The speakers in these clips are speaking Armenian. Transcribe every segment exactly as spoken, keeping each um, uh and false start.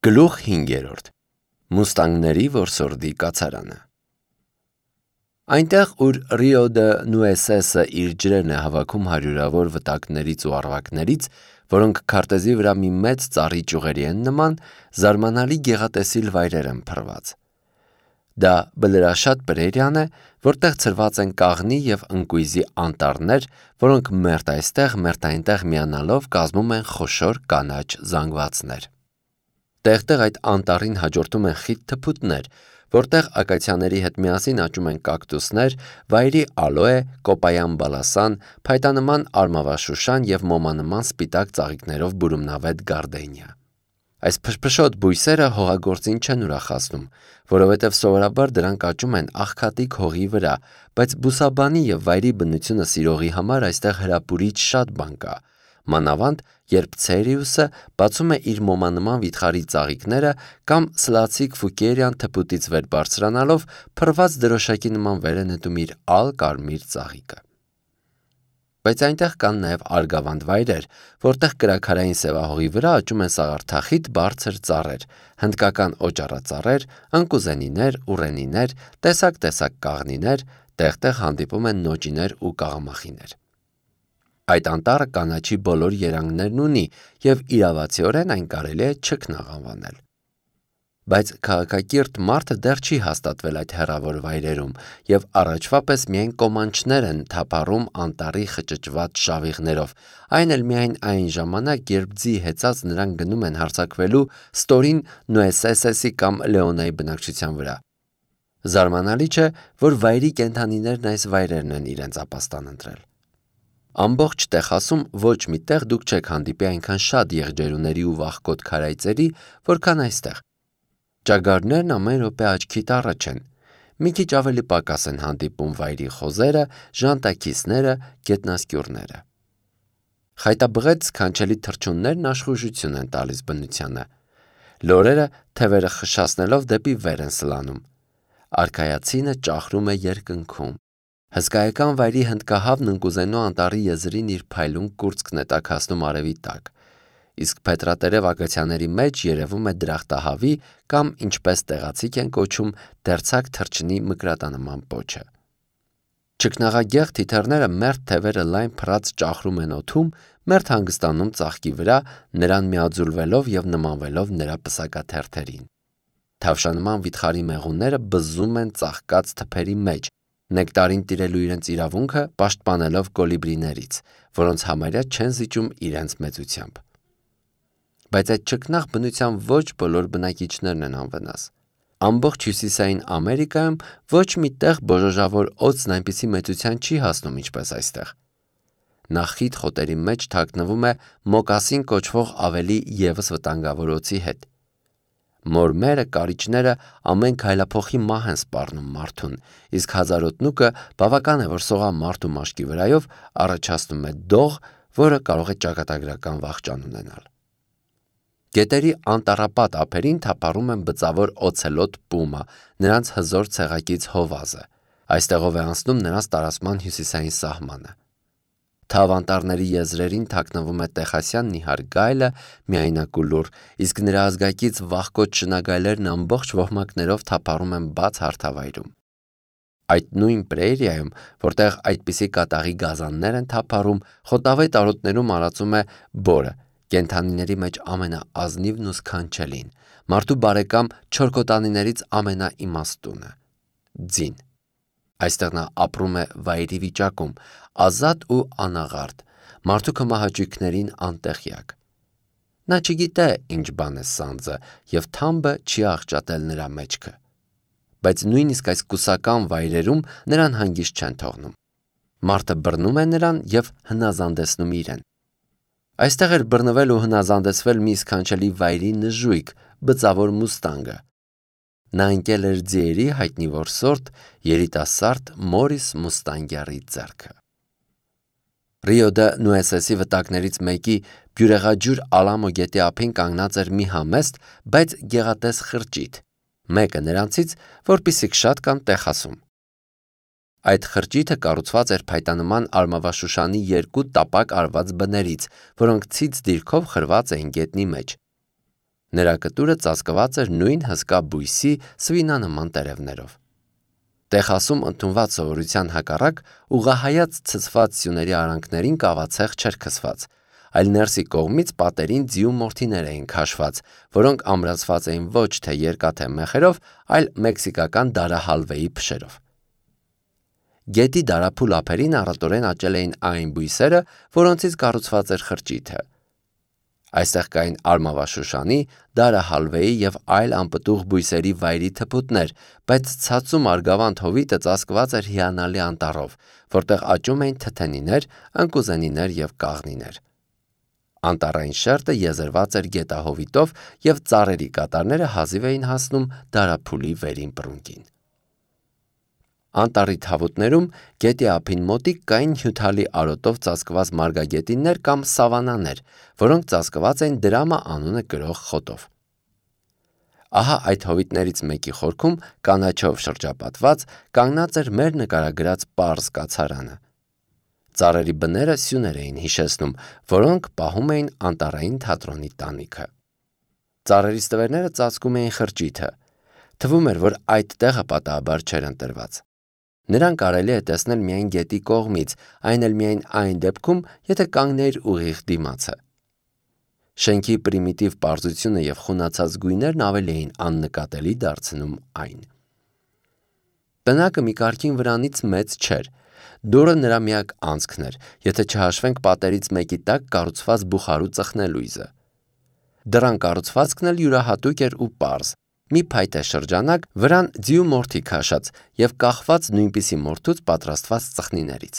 Գլուխ հինգերորդ. Մուստանգների որսորդի կացարանը։ Այնտեղ, ուր Ռիո դե Նուեսեսը իր ջրերն է հավաքում հարյուրավոր վտակներից ու առվակներից, որոնք քարտեզի վրա մի մեծ ծառի ճյուղերի են նման, զարմանալի գեղատեսիլ վայրեր են փռված։ Դա բլրաշատ պրերիան է, որտեղ ցրված են կաղնի և ընկույզի անտառներ, որոնք մերթ այստեղ, մերթ այնտեղ միանալով կազմում են խոշոր կանաչ զանգվածներ։ Տեղ-տեղ այդ անտառին հաջորդում են խիտ թփուտներ, որտեղ ակացիաների հետ միասին աճում են կակտուսներ, վայրի ալոե, կոպայան բալասան, փայտանման արմավաշուշան և մոմանման սպիտակ ծաղիկներով բուրումնավետ գարդենիա։ Այս փշփշոտ բույսերը հողագործին չեն ուրախացնում, որովհետև սովորաբար դրանք աճում են աղքատիկ հողի վրա, բայց բուսաբանի և վայրի բնությունը սիրողի համար այստեղ հրապուրիչ շատ բան կա, մանավանդ, երբ Ցերիուսը բացում է իր մոմանման վիթխարի ծաղիկները կամ Սլացիկ Ֆուկերյան թփուտից վեր բարձրանալով փռված դրոշակի նման վեր է նետում իր ալ կարմիր ծաղիկը։ Բայց այնտեղ կան նաև արգավանդ վայրեր, որտեղ կրաքարային սևահողի վրա աճում են սաղարթախիտ բարձր ծառեր, հնդկական օճառածառեր, ընկուզենիներ, ուռենիներ, տեսակ-տեսակ կաղնիներ, տեղ-տեղ հանդիպում են նոճիներ ու կաղամախիներ։ Այդ անտառը կանաչի բոլոր երանգներն ունի և իրավացիորեն այն կարելի է չքնաղ անվանել։ Բայց քաղաքակիրթ մարդը դեռ չի հաստատվել այդ հեռավոր վայրերում և առաջվա պես միայն կոմանչներ են թափառում անտառի խճճված շավիղներով, այն էլ միայն այն ժամանակ, երբ ձի հեծած նրանք գնում են հարձակվելու ստորին Նուեսեսեսի կամ Լեոնայի բնակչության վրա։ Զարմանալի չէ, որ վայրի կենդանիներն այս վայրերն են իրենց ապաստան ընտրել։ Ամբողջ Տեխասում ոչ մի տեղ դուք չեք հանդիպի այնքան շատ եղջերուների ու վախկոտ քարայծերի, որքան այստեղ։ Ճագարներն ամեն րոպե աչքիդ առաջ են։ Մի քիչ ավելի պակաս են հանդիպում վայրի խոզերը, ժանտաքիսները, գետնասկյուռները։ Խայտաբղետ սքանչելի թռչուններն աշխուժություն են տալիս բնությանը։ Լորերը թևերը խշացնելով դեպի վեր են սլանում։ Արքայացինը ճախրում է երկնքում։ Հսկայական վայրի հնդկահավն ընկուզենու անտառի եզրին իր փայլուն կուրծքն է տաքացնում արևի տակ, իսկ փետրատերև ակացիաների մեջ երևում է դրախտահավի կամ, ինչպես տեղացիք են կոչում, դերձակ թռչնի մկրատանման պոչը։ Չքնաղագեղ թիթեռները մերթ թևերը լայն փռած ճախրում են օդում, մերթ հանգստանում ծաղկի վրա, նրան միաձուլվելով և նմանվելով նրա պսակաթերթերին։ Թավշանման վիթխարի մեղուները բզզում են ծաղկած թփերի մեջ, նեկտարին տիրելու իրենց իրավունքը պաշտպանելով կոլիբրիներից, որոնց համարյա չեն զիջում իրենց մեծությամբ։ Բայց այդ չքնաղ բնության ոչ բոլոր բնակիչներն են անվնաս։ Ամբողջ հյուսիսային Ամերիկայում ոչ մի տեղ բոժոժավոր օձն այնպիսի մեծության չի հասնում, ինչպես այստեղ։ Նա խիտ խոտերի մեջ թաքնվում է մոկասին կոչվող ավելի ևս վտանգավոր օձի հետ։ Մորմերը, կարիճները ամեն քայլափոխի մահ են սպառնում մարդուն, իսկ հազարոտնուկը բավական է, որ սողա մարդու մաշկի վրայով, առաջացնում է դող, որը կարող է ճակատագրական վախճան ունենալ։ Գետերի անտառապատ ափերին թափառում են բծավոր օցելոտ պումա, նրանց հզոր ցեղակից հովազը։ Այստեղով է անցնում նրանց տարածման հյուսիսային սահմանը։ Թավ անտառների եզրերին թաքնվում է տեխասյան նիհար գայլը, միայնակ ու լուռ, իսկ նրա ազգակից վախկոտ շնագայլերն ամբողջ ոհմակներով թափառում են բաց հարթավայրում։ Այդ նույն պրերիայում, որտեղ այդպիսի կատաղի գազաններ են թափառում, խոտավետ արոտներում արածում է բորը, կենդանիների մեջ ամենաազնիվն ու սքանչելին, մարդու բարեկամ չորքոտանիներից ամենաիմաստունը՝ ձին։ Այստեղ նա ապրում է վայրի վիճակում, ազատ ու անաղարտ, մարդու կմահաճույքներին անտեղյակ։ Նա չգիտե ինչ բան է սանձը և թամբը չի աղճատել նրա մեջքը։ Բայց նույնիսկ այս կուսական վայրերում նրան հանգիստ չեն թողնում։ Մարդը բռնում է նրան և հնազանդեցնում իրեն։ Այստեղ էր բռնվել ու հնազանդեցվել մի սքանչելի վայրի նժույգ, բծավոր մուստանգը։ Նա ընկել էր ձիերի հայտնի որսորդ երիտասարդ Մորիս Մուստանգյարի ձեռքը։ Ռիո դե Նուեսեսի վտակներից մեկի բյուրեղաջուր Ալամո գետի ափին կանգնած էր մի համեստ, բայց գեղատես խրճիթ, մեկը նրանցից, որպիսիք շատ կան Տեխասում։ Այդ խրճիթը կառուցված էր փայտանման արմավաշուշանի երկու տապակ արված բներից, որոնք ցից դիրքով խրված էին գետնի մեջ։ Նրա կտուրը ծածկված էր նույն հսկա բույսի սվինանման տերևներով։ Տեխասում ընդունված սովորության հակառակ ուղղահայաց ցցված սյուների արանքներին կավացեղ չէր քսված, այլ ներսի կողմից պատերին ձիու մորթիներ էին քաշված, որոնք ամրացված էին ոչ թե երկաթե մեխերով, այլ մեքսիկական դարահալվեի փշերով։ Գետի դարափուլ ափերին առատորեն աճել էին այն բույսերը, որոնցից կառուցված էր խրճիթը։ Այստեղ կային արմավաշուշանի, դարահալվեի և այլ անպտուղ բույսերի վայրի թփուտներ, բայց ցածում Արգավանդ հովիտը ծածկված էր հիանալի անտառով, որտեղ աճում էին թթենիներ, ընկուզենիներ և կաղնիներ։ Անտառային շերտը եզերված էր գետահովիտով և ծառերի կատարները հազիվ էին հասնում դարափուլի վերին բռունկին։ Անտառի թավուտներում գետի ափին մոտիկ կային հյութալի արոտով ծածկված մարգագետիններ կամ սավանաներ, որոնք ծածկված էին դրամա անունը կրող խոտով։ Ահա այդ հովիտներից մեկի խորքում, կանաչով շրջապատված, կանգնած էր մեր նկարագրած պարզ կացարանը։ Ծառերի բները սյուներ էին հիշեցնում, որոնք պահում էին անտառային թատրոնի տանիքը։ Ծառերի ստվերները ծածկում էին խրճիթը։ Թվում էր, որ այդ տեղը պատահաբար չէր ընտրված։ Նրան կարելի է տեսնել միայն գետի կողմից, այն էլ միայն այն դեպքում, եթե կանգներ ուղիղ դիմացը։ Շենքի պրիմիտիվ պարզությունը և խունացած գույներն ավելի էին աննկատելի դարձնում այն։ Տնակը մի կարգին վրանից մեծ չէր։ Դուռը նրա միակ անցքն էր, եթե չհաշվենք պատերից մեկի տակ կառուցված բուխարու ծխնելույզը։ Դռան կառուցվածքն էլ յուրահատուկ էր ու պարզ։ Մի փայտե շրջանակ, վրան ձիու մորթի քաշած և կախված նույնպիսի մորթուց պատրաստված ծխնիներից։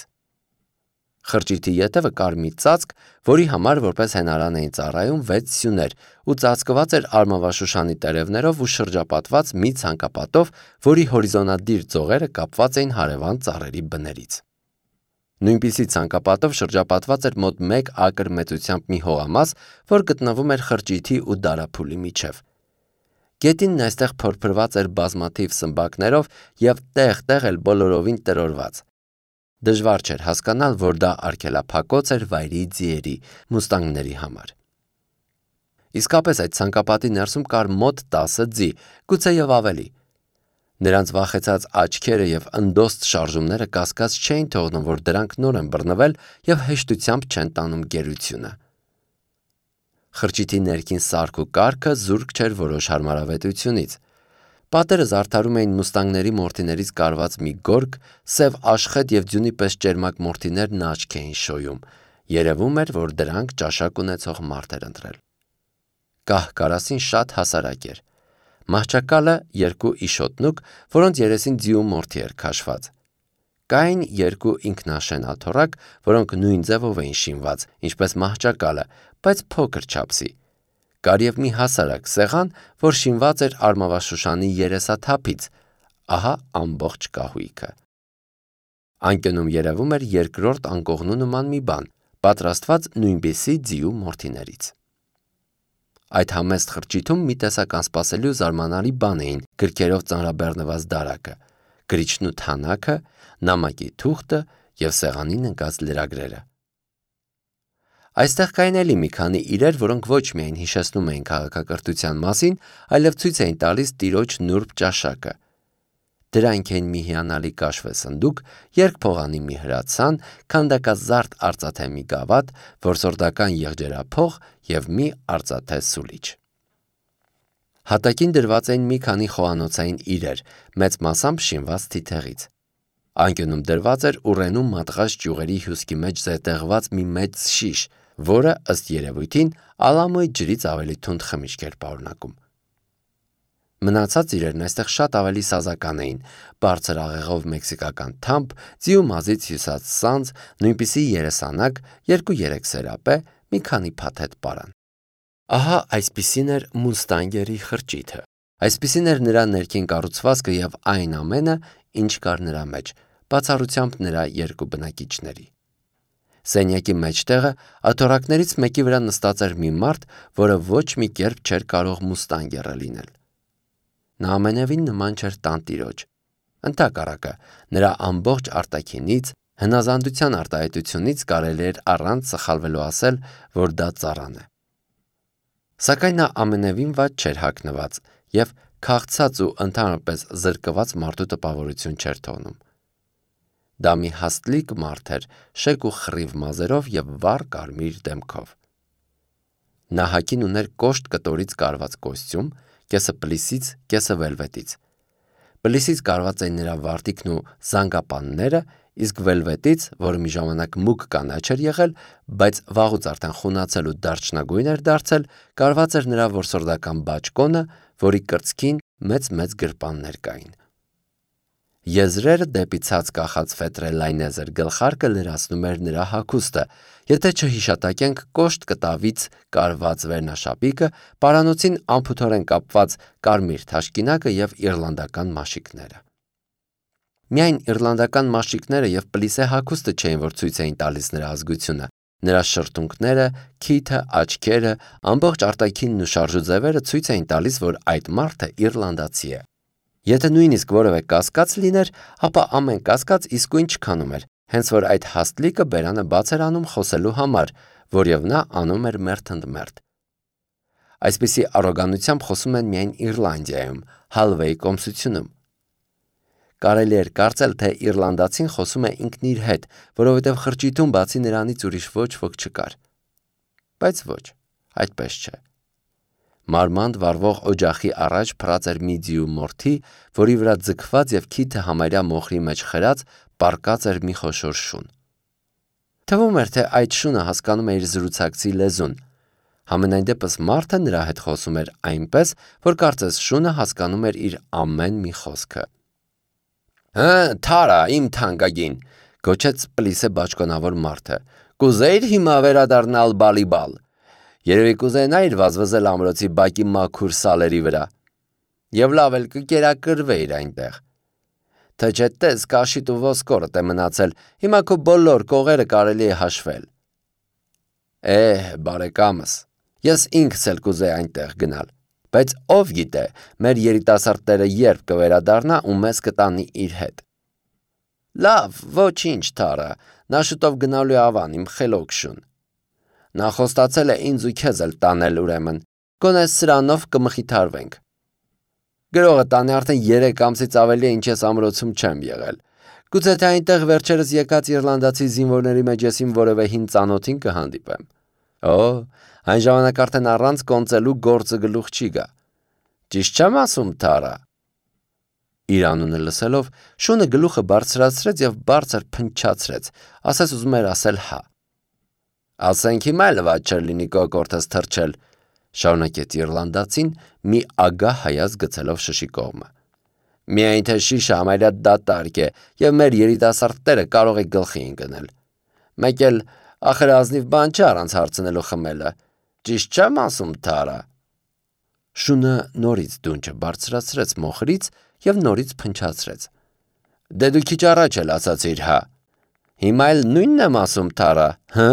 Խրճիթի ետևը կար մի ծածկ, որի համար որպես հենարան էին ծառայում վեց սյուներ ու ծածկված էր արմավաշուշանի տերևներով ու շրջապատված մի ցանկապատով, որի հորիզոնադիր ծողերը կապված էին հարևան ծառերի բներից։ Նույնպիսի ցանկապատով շրջապատված էր մոտ մեկ ակր մեծությամբ մի հողամաս, որ գտնվում էր խրճիթի ու դարափուլի միջև։ Գետինն այստեղ փորփրված էր բազմաթիվ սմբակներով և տեղ-տեղ էլ բոլորովին տրորված։ Դժվար չէր հասկանալ, որ դա արգելափակոց էր վայրի ձիերի, մուստանգների համար։ Իսկապես այդ ցանկապատի ներսում կար մոտ տասը ձի, գուցեև ավելի։ Նրանց վախեցած աչքերը և ընդոստ շարժումները կասկած չէին թողնում, որ դրանք նոր են բռնվել և հեշտությամբ չեն տանում գերությունը։ Խրճիթի ներքին սարք ու կարգը զուրկ չէր որոշ հարմարավետությունից։ Պատերը զարդարում էին մուստանգների մորթիներից կարված մի գորգ, սև աշխետ և ձյունի պես ճերմակ մորթիներն աչք էին շոյում։ Երևում էր, որ դրանք ճաշակ ունեցող մարդ էր ընտրել։ Կահ-կարասին շատ հասարակ էր։ Մահճակալը երկու իշոտնուկ, որոնց երեսին ձիու մորթի էր քաշված։ Կային երկու ինքնաշեն աթոռակ, որոնք նույն ձևով էին շինված, ինչպես մահճակալը, բայց փոքր չափսի։ Կար և մի հասարակ սեղան, որ շինված էր արմավաշուշանի երեսաթափից, ահա ամբողջ կահույքը։ Անկյունում երևում էր երկրորդ անկողնու նման մի բան, պատրաստված նույնպիսի ձիու մորթիներից։ Այդ համեստ խրճիթում մի տեսակ անսպասելի ու զարմանալի բան էին գրքերով ծանրաբեռնված դարակը, գրիչն ու թանաքը, նամակի թուղթը և սեղանին ընկած լրագրերը։ Այստեղ կային էլի մի քանի իրեր, որոնք ոչ միայն հիշեցնում էին քաղաքակրթության մասին, այլև ցույց էին տալիս տիրոջ նուրբ ճաշակը։ Դրանք էին մի հիանալի կաշվե սնդուկ, երկփողանի մի հրացան, քանդակազարդ արծաթե մի գավաթ, որսորդական եղջերափող և մի արծաթե սուլիչ։ Հատակին դրված էին մի քանի խոհանոցային իրեր, մեծ մասամբ շինված թիթեղից։ Անկյունում դրված էր ուռենու մատղաշ ճյուղերի հյուսկի մեջ զետեղված մի մեծ շիշ, որը, ըստ երևույթին, Ալամոյի ջրից ավելի թունդ խմիչք էր պարունակում։ Մնացած իրերն այստեղ շատ ավելի սազական էին, բարձր աղեղով մեքսիկական թամփ, ձիու մազից հյուսած սանձ, նույնպիսի երեսանակ, երկու-երեք սերապե, մի քանի փաթեթ պարան։ Ահա այսպիսին էր մուստանգերի խրճիթը։ Այսպիսին էր նրա ներքին կառուցվածքը և այն ամենը, ինչ կար նրա մեջ, բացառությամբ նրա երկու բնակիչների։ Սենյակի մեջտեղը աթոռակներից մեկի վրա նստած էր մի մարդ, որը ոչ մի կերպ չէր կարող մուստանգերը լինել։ Նա ամենևին նման չէր տանտիրոջ։ Ընդհակառակը, նրա ամբողջ արտաքինից, հնազանդության արտահայտությունից կարելի էր առանց սխալվելու ասել, որ դա ծառան է։ Սակայն նա ամենևին վատ չէր հագնված և քաղցած ու ընդհանրապես զրկված մարդու տպավորություն չէր թողնում։ Դա մի հաստլիկ մարդ էր, շեկ ու խռիվ մազերով և վառ կարմիր դեմքով։ Նա հագին ուներ կոշտ կտորից կարված կոստյում, կեսը պլիսից, կեսը վելվետից։ Պլիսից կարված էին նրա վարտիքն ու զանգապանները, իսկ վելվետից, որը մի ժամանակ մուգ կանաչ էր եղել, բայց վաղուց արդեն խունացել ու դարչնագույն էր դարձել, կարված էր նրա որսորդական բաճկոնը, որի կրծքին մեծ-մեծ գրպաններ կային։ Եզրերը դեպի ցած կախած ֆետրելայնեզեր գլխարկը լրացնում էր նրա հագուստը, եթե չհիշատակենք կոշտ կտավից կարված վերնաշապիկը, պարանոցին անփութորեն կապված կարմիր թաշկինակը և իռլանդական մաշիկները։ Միայն իռլանդական մաշիկները և պլիսե հագուստը չէին, որ ցույց էին տալիս նրա ազգությունը։ Նրա շրթունքները, քիթը, աչքերը, ամբողջ արտաքինն ու շարժուձևերը ցույց էին տալիս, որ այդ մարդը իռլանդացի է։ Եթե նույնիսկ որևէ կասկած լիներ, ապա ամեն կասկած իսկույն չքանում էր, հենց որ այդ հաստլիկը բերանը բաց էր անում խոսելու համար, որև նա անում էր մերթ ընդ մերթ։ Այսպիսի առոգանությամբ խոսում են միայն Իռլանդիայում, Հալվեի կոմսությունում։ Կարելի էր կարծել, թե իռլանդացին խոսում է ինքն իր հետ, որովհետև խրճիթում բացի նրանից ուրիշ ոչ ոք չկար։ Բայց ոչ, այդպես չէ։ Մարմանդ վառվող օջախի առաջ փռած էր մի ձիու մորթի, որի վրա ձգված և քիթը համարյա մոխրի մեջ խրած պառկած էր մի խոշոր շուն։ Թվում էր, թե այդ շունը հասկանում է իր զրուցակցի լեզուն։ Համենայն դեպս մարդը նրա հետ խոսում էր այնպես, որ կարծես շունը հասկանում էր իր ամեն մի խոսքը։ «Հը, Թարա, իմ թանկագին», գոչեց պլիսե բաճկոնավոր մարդը, «կուզեիր հիմա վերադառնալ բալիբալ։ Երևի կուզենայիր վազվզել ամրոցի բակի մաքուր սալերի վրա։ Եվ լավ էլ կկերակրվեիր այնտեղ։ Թե չէ տես կաշիդ ու ոսկորդ է մնացել, հիմա քո բոլոր կողերը կարելի է հաշվել։ Էհ, բարեկամս, ես ինքս էլ կուզեի այնտեղ գնալ, բայց ով գիտե, մեր երիտասարդները երբ կվերադառնա ու մեզ կտանի իր հետ։ Լավ, ոչինչ, Թարա, նա շուտով գնալու է Ավան, իմ խելոք շուն։ Նա խոստացել է ինձ ու քեզ էլ տանել ուրեմն, գոնե սրանով կմխիթարվենք։ Գրողը տանի արդեն երեք ամսից ավելի է, ինչ ես ամրոցում չեմ եղել։ Գուցե թե այնտեղ վերջերս եկած իռլանդացի զինվորների մեջ ես իմ որևէ հին ծանոթին կհանդիպեմ։ Օ, այն ժամանակ արդեն առանց կոնծելու գործը գլուխ չի գա։ Ճիշտ չեմ ասում, Թարա։ Իր անունը լսելով, շունը գլուխը բարձրացրեց և բարձր փնչացրեց, ասես ուզում էր ասել հա։ Ասենք հիմա էլ վատ չէր լինի կոկորդս թռչել, շարունակեց իռլանդացին, մի ագահ հայացք գցելով շշի կողմը։ Միայն թե շիշը համարյա դատարկ է, և մեր երիտասարդները կարող է գլխի ընկնել։ Մեկ էլ ախր ազնիվ բան չէ առանց հարցնելու խմելը։ Ճիշտ չեմ ասում, Թարա։ Շունը նորից դունչը բարձրացրեց մոխրից և նորից փնչացրեց։ Դե դու քիչ առաջ էլ ասացիր հա։ Հիմա էլ նույնն եմ ասում, Թարա, հը։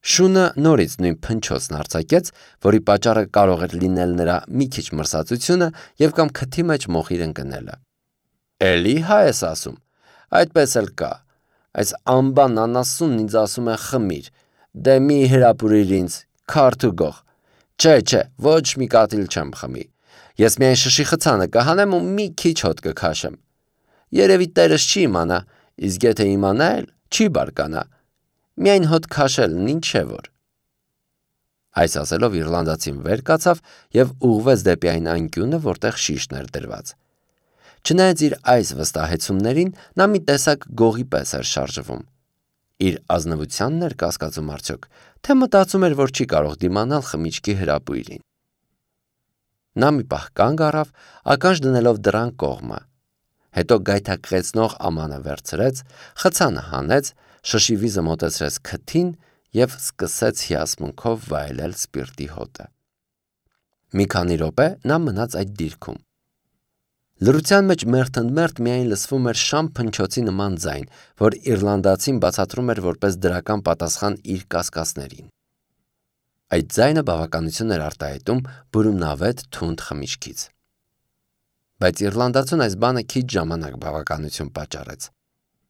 Շունը նորից նույն փնչոցն արձակեց, որի պատճառը կարող էր լինել նրա մի քիչ մրսածությունը և կամ քթի մեջ մոխիր ընկնելը։ Էլի հա ես ասում, այդպես էլ կա։ Այս ամբան անասունն ինձ ասում է խմիր, դե մի հրապուրիր ինձ, քարդ ու գող։ Չէ, չէ, ոչ մի կաթիլ չեմ խմի։ Ես միայն շշի խցանը կհանեմ ու մի քիչ հոտ կքաշեմ։ Երևի տերս չի իմանա, իսկ եթե իմանա էլ, չի բարկանա։ Միայն հոտ քաշելն ինչ է որ։ Այս ասելով իռլանդացին վեր կացավ և ուղղվեց դեպի այն անկյունը, որտեղ շիշն էր դրված։ Չնայած իր այս վստահեցումներին, նա մի տեսակ գողի պես էր շարժվում։ Իր ազնվությանն էր կասկածում արդյոք, թե մտածում էր, որ չի կարող դիմանալ խմիչքի հրապույրին։ Նա մի պահ կանգ առավ, ականջ դնելով դռան կողմը։ Հետո գայթակղեցնող ամանը վերցրեց, խցանը հանեց, շշի վիզը մոտեցրեց քթին և սկսեց հիասմունքով վայելել սպիրտի հոտը։ Մի քանի րոպե նա մնաց այդ դիրքում։ Լռության մեջ մերթընդմերթ միայն լսվում էր շամ փնչոցի նման ձայն, որ իռլանդացին բացատրում էր որպես դրական պատասխան իր կասկածներին։ Այդ ձայնը բավականություն էր արտահայտում բուրումնավետ թունդ խմիչքից։ Բայց իռլանդացուն այս բանը քիչ ժամանակ բավականություն պատճառեց։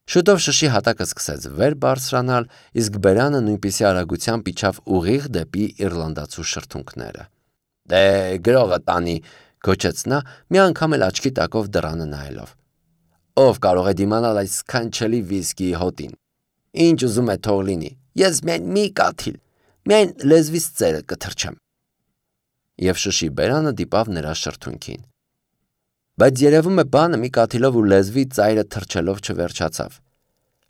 Շուտով շշի հատակը սկսեց վեր բարձրանալ, իսկ բերանը նույնպիսի արագությամբ իջավ ուղիղ դեպի իռլանդացու շրթունքները։ Դե գրողը տանի, գոչեց նա, մի անգամ էլ աչքի տակով դռանը նայելով։ Ով կարող է դիմանալ այս սքանչելի վիսկիի հոտին։ Ինչ ուզում է թող լինի, ես միայն մի կաթիլ, միայն լեզվիս ծերը կթրջեմ։ Եվ շշի բերանը դիպավ նրա շրթունքին։ Բայց երևում է բանը մի կաթիլով ու լեզվի ծայրը թրջելով չվերջացավ։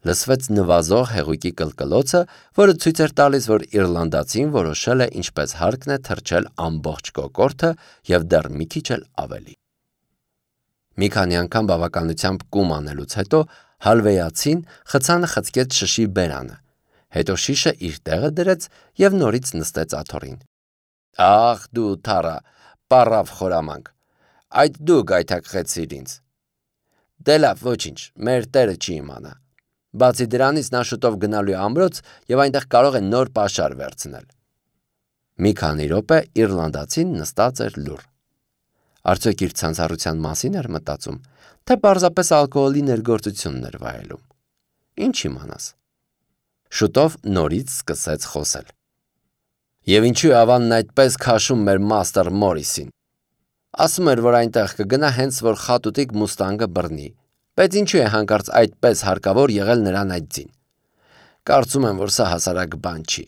Լսվեց նվազող հեղուկի կլկլոցը, որը ցույց էր տալիս, որ իռլանդացին որոշել է ինչպես հարկն է թրջել ամբողջ կոկորդը և դեռ մի քիչ էլ ավելի։ Մի քանի անգամ բավականությամբ կում անելուց հետո հալվեյացին խցանը խցկեց շշի բերանը, հետո շիշը իր տեղը դրեց և նորից նստեց աթոռին։ Ախ դու թառա, պառավ խորամանկ, այդ դու գայթակղեցիր ինձ։ Դե լավ, ոչինչ, մեր տերը չի իմանա։ Բացի դրանից նա շուտով գնալու է ամրոց և այնտեղ կարող է նոր պաշար վերցնել։ Մի քանի րոպե իռլանդացին նստած էր լուռ։ Արդյոք իր ցանցառության մասին էր մտածում, թե պարզապես ալկոհոլի ներգործությունն էր վայելում։ Ինչ իմանաս։ Շուտով նորից սկսեց խոսել։ Եվ ինչու է ավանն այդպես քաշում մեր մաստեր Մորիսին։ Ասում էր, որ այնտեղ կգնա հենց որ խատուտիկ մուստանգը բռնի, բայց ինչու է հանկարծ այդպես հարկավոր եղել նրան այդ ձին։ Կարծում եմ, որ սա հասարակ բան չի։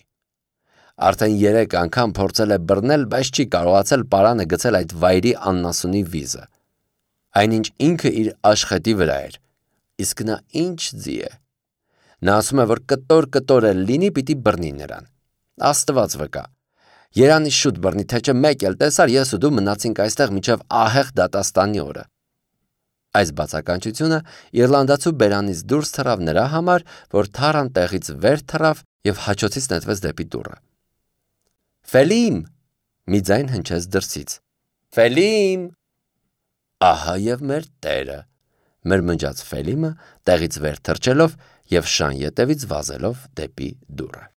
Արդեն երեք անգամ փորձել է բռնել, բայց չի կարողացել պարանը գցել այդ վայրի աննասունի վիզը։ Այնինչ ինքը իր աշխատի վրա էր, իսկ նա ինչ ձի է։ Նա ասում է, որ կտոր-կտոր էլ լինի, պիտի բռնի նրան։ Աստված վկա։ Երանի շուտ բռնի, թե չէ մեկ էլ տեսար, ես ու դու մնացինք այստեղ մինչև ահեղ դատաստանի օրը։ Այս բացականչությունը իռլանդացու բերանից դուրս թռավ նրա համար, որ թառան տեղից վեր թռավ և հաչոցից նետվեց դեպի դուռը։ Ֆելիմ, մի ձայն հնչեց դրսից։ Ֆելիմ։ Ահա և մեր տերը, մրմնջաց Ֆելիմը տեղից վեր թռչելով և շան ետևից վազելով դեպի դուռը։